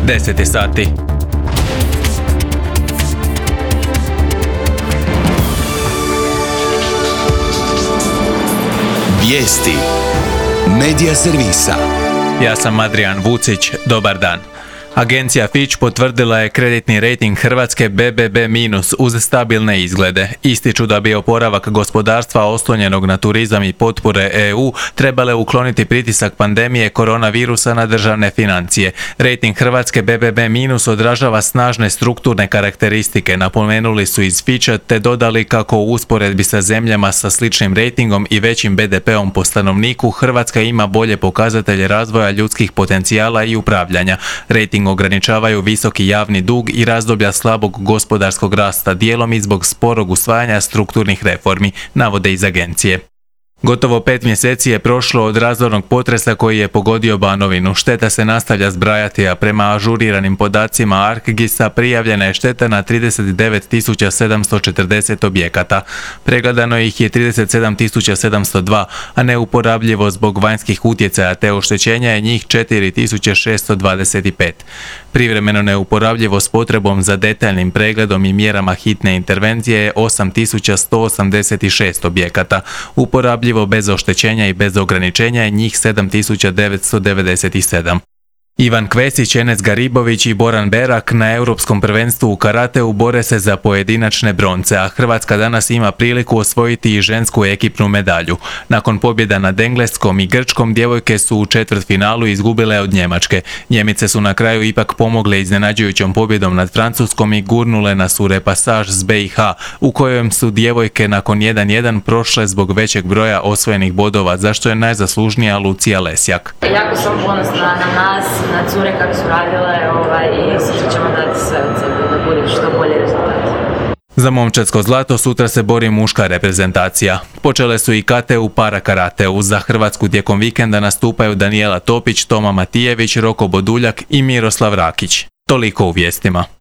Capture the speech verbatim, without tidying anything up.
deset je sati. Vijesti Medija servisa. Ja sam Adrian Vucić, dobar dan. Agencija Fitch potvrdila je kreditni rejting Hrvatske be be be minus uz stabilne izglede. Ističu da bi oporavak gospodarstva oslonjenog na turizam i potpore E U trebale ukloniti pritisak pandemije koronavirusa na državne financije. Rejting Hrvatske be be be minus odražava snažne strukturne karakteristike, napomenuli su iz Fitcha, te dodali kako u usporedbi sa zemljama sa sličnim rejtingom i većim be de peom po stanovniku, Hrvatska ima bolje pokazatelje razvoja ljudskih potencijala i upravljanja. Rejting ograničavaju visoki javni dug i razdoblja slabog gospodarskog rasta, dijelom i zbog sporog usvajanja strukturnih reformi, navode iz agencije. Gotovo pet mjeseci je prošlo od razornog potresa koji je pogodio Banovinu. Šteta se nastavlja zbrajati, a prema ažuriranim podacima ArcGIS-a prijavljena je šteta na trideset devet tisuća sedamsto četrdeset objekata. Pregledano ih je trideset sedam tisuća sedamsto dva, a neuporabljivo zbog vanjskih utjecaja te oštećenja je njih četiri tisuće šesto dvadeset pet. Privremeno neuporabljivo s potrebom za detaljnim pregledom i mjerama hitne intervencije je osam tisuća sto osamdeset šest objekata. Uporabljivo bez oštećenja i bez ograničenja je njih sedam tisuća devetsto devedeset sedam. Ivan Kvesić, Enes Garibović i Boran Berak na Europskom prvenstvu u karateu bore se za pojedinačne bronce, a Hrvatska danas ima priliku osvojiti i žensku ekipnu medalju. Nakon pobjeda nad Engleskom i Grčkom, djevojke su u četvrtfinalu izgubile od Njemačke. Njemice su na kraju ipak pomogle iznenađujućom pobjedom nad Francuskom i gurnule nas u repasaž s be i ha, u kojem su djevojke nakon jedan jedan prošle zbog većeg broja osvojenih bodova, za što je najzaslužnija Lucija Lesjak. Jako sam ponosna na nas, na cure kako su radile ovaj, i sutra ćemo dati sve od sebe da bude što bolje rezultat. Za momčadsko zlato sutra se bori muška reprezentacija. Počele su i kate u para karateu. Za Hrvatsku tijekom vikenda nastupaju Danijela Topić, Toma Matijević, Roko Boduljak i Miroslav Rakić. Toliko u vijestima.